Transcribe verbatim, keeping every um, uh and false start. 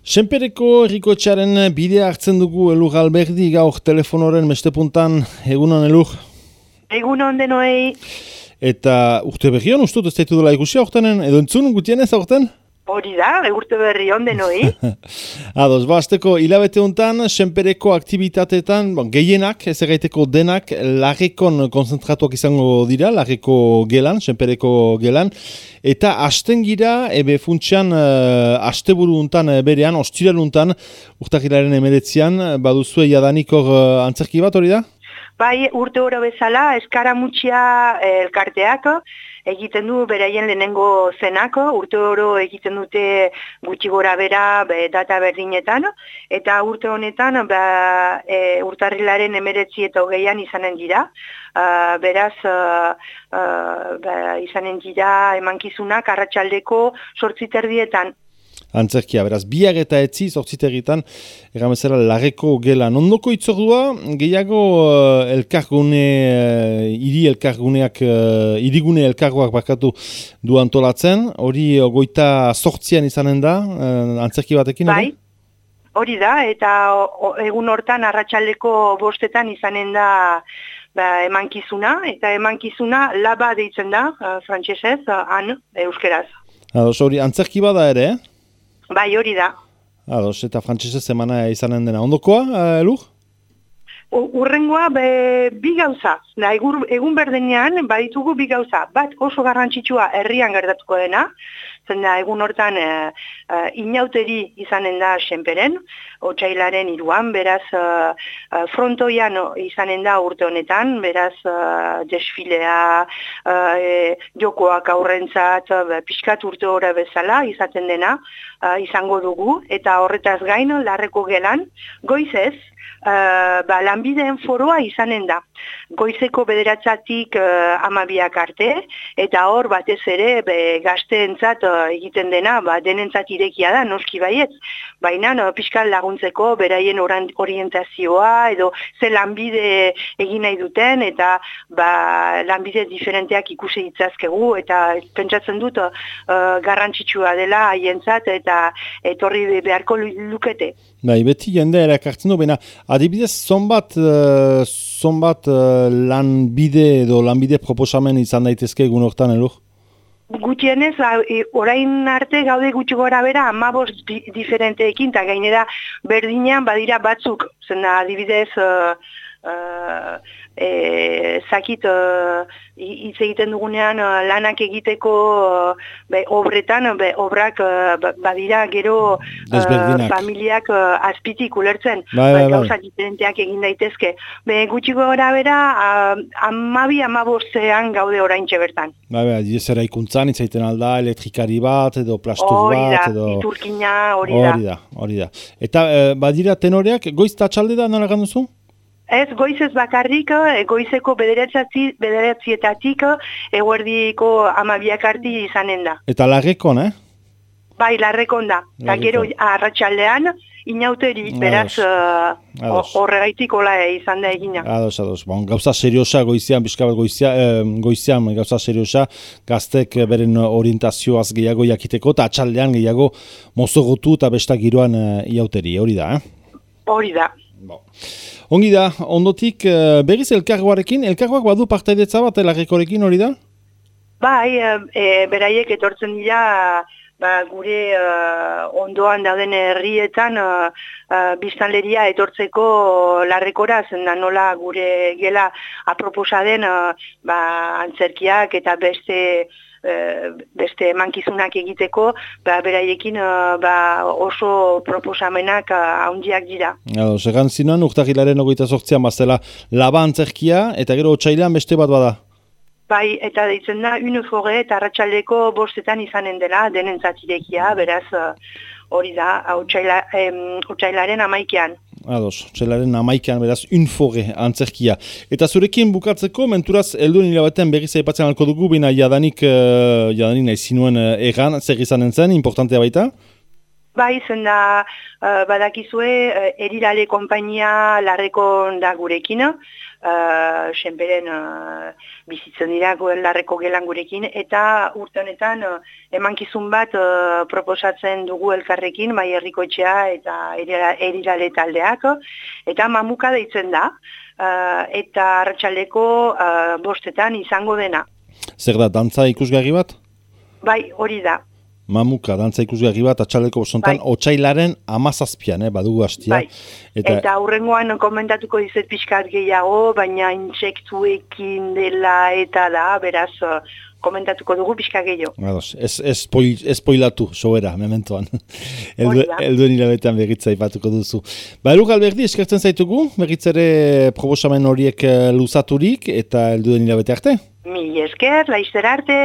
Senpereko herrikotxearen bidea hartzen dugu Elur Alberdi gaur telefonoren bestepuntan. Egunon, Elur? Egunon denoi. Eta urte berri hon, ustut ez daitu dela ikusi aurtenen, edo entzun gutienez aurten? Hori da, urte berri hon denoi. Ados, ba, azteko hilabete honetan, Senpereko aktibitateetan, bon, gehienak, ez erraiteko denak, larrekon konzentratuak izango dira, larreko gelan, Senpereko gelan, eta hasten gira, ebe funtsian, uh, asteburu untan berean, ostiral untan, urtakilaren emeretzian, baduzue jadanik hor uh, antzerki bat hori da? Bai, urte oro bezala, eskaramutxia elkarteak, egiten du beraien lehenengo zenako, urte oro egiten dute gutxi gora bera be, data berdinetan, eta urte honetan ba, e, urtarrilaren emeretzi eta hogeian izanen dira. Uh, beraz, uh, uh, ba, izanen dira emankizunak arratsaldeko zortzi terdietan. Antzerkia, beraz, biak eta etzi zortzitegitan, erramezela larreko gelan. Ondoko itzordua, gehiago uh, elkargune, uh, hiri elkarguneak, uh, hirigune elkargoak bakatu du antolatzen, hori uh, goita sortzian izanen da, uh, antzerki batekin, bai, hori da, eta o, egun hortan arratsaldeko bostetan izanen da ba, emankizuna, eta emankizuna laba deitzen da, uh, frantsesez, uh, han, euskeraz. Ados, hori antzerki bada ere, eh? Bai, hori da. Ados, eta frantsesez emana izanen dena. Ondokoa, uh, Elur? Urrengoa be, bi gauza. Da, egur, egun berdenean baditugu bi gauza. Bat oso garrantzitsua herrian gertatuko dena. Zen da, egun hortan e, e, inauteri izanen da Senperen, otsailaren hiruan, beraz e, frontoian izanen da urte honetan, beraz e, desfilea, e, jokoak aurrentzat, e, pixkat urte hori bezala izaten dena e, izango dugu, eta horretaz gain larreko gelan, goizez, Uh, ba, lanbideen foroa izanen da. Goizeko bederatzatik uh, amabiak arte, eta hor batez ere be, gazteentzat uh, egiten dena, ba, denentzat irekia da, noski baietz. Baina no, pixkal laguntzeko beraien orientazioa, edo ze lanbide egin nahi duten, eta ba, lanbide diferenteak ikusi ditzazkegu, eta pentsatzen dut uh, garrantzitsua dela haientzat, eta etorri beharko lukete. Bai, beti jende erakartzen du, baina adibidez, zonbat, uh, zonbat uh, lanbide edo lanbide proposamen izan daitezke egun hortan, Elur? Gutienez, orain arte gaude gutxi gora bera, hamabost di, diferenteekin, eta gainera berdinean badira batzuk, zena adibidez, uh, uh, e, zakit, hitz uh, egiten dugunean uh, lanak egiteko uh, be, obretan, be, obrak uh, badira gero uh, familiak uh, azpitik ulertzen, bai, bai, bai. Gauza diferenteak egin daitezke. Be, gutxi gora bera, uh, amabi, amabostean gaude oraintxe bertan. Bai, bai, dizera ikuntzan, itzaiten alda, elektrikari bat, edo plastur bat, edo... iturkina, hori da. Hori da, hori da. Eta eh, badira tenoreak, goiz eta txalde da, nola ganduzu? Ez, goizez bakarrik, goizeko bederatzietatik, eguerdiko amabiak arti izanen da. Eta larrekon, eh? Bai, larrekon da. Eta gero arratsaldean inauteri, beraz horregaitik uh, hola izan da egina. Ados, ados. Bon, gauza seriosa goizean, bizka bat goizea, eh, goizean gauza seriosa, gaztek beren orientazioaz gehiago jakiteko, eta atxaldean gehiago mozogotu eta bestak giroan uh, iauteri, hori da, eh? Hori da. Bon. Ongi da, ondotik berriz elkargoarekin, elkargoak badu partaidetza bat larrekorekin hori da? Bai, e, beraiek etortzen dira ba, gure uh, ondoan dauden herrietan uh, uh, biztanleria etortzeko larrekora, zen da nola gure gela aproposa den uh, ba, antzerkiak eta beste beste emankizunak egiteko, ba, beraiekin ba, oso proposamenak handiak dira. Segan zinuan, urtarrilaren ogoita sortzian bazela laba antzerkia, eta gero otsailean beste bat bada? Bai, eta deitzen da, unifore eta arratsaldeko bostetan izanen dela, denentzat irekia, beraz hori da, otsailaren amaikean. Ados, otsailaren amaikean, beraz, unfore antzerkia. Eta zurekin bukatzeko, menturaz, elduen hilabatean berriz aipatzen alko dugu, bina jadanik, uh, jadanik nahi zinuen uh, erran, zer izanen zen, importantea baita? Bai, zen da, uh, badakizue uh, Erirale konpainia larrekon da gurekin, uh, senperen uh, bizitzen dira larreko gelan gurekin, eta urte honetan uh, emankizun bat uh, proposatzen dugu elkarrekin, Mai Herrikoetxea eta Erirale taldeak, eta mamuka deitzen da, uh, eta arratsaldeko uh, bostetan izango dena. Zer da, dantza ikusgarri bat? Bai, hori da. Mamuka, dantza ikusgarri bat, atxaleko bostontan, bai. Otsailaren amazazpian, eh, badugu hastia. Bai. Eta, eta hurrengoan komentatuko dizet pixkat gehiago, baina intsektuekin dela eta da, beraz, komentatuko dugu pixka gehiago. Ados, ez, ez, spoil, ez spoilatu, sobera, mementoan. Eldu, elduen hilabetean berritza ipatuko duzu. Ba, Elur Alberdi, eskertzen zaitugu, berritzere proposamen horiek luzaturik, eta elduen hilabete arte. Mi esker, laizzer arte.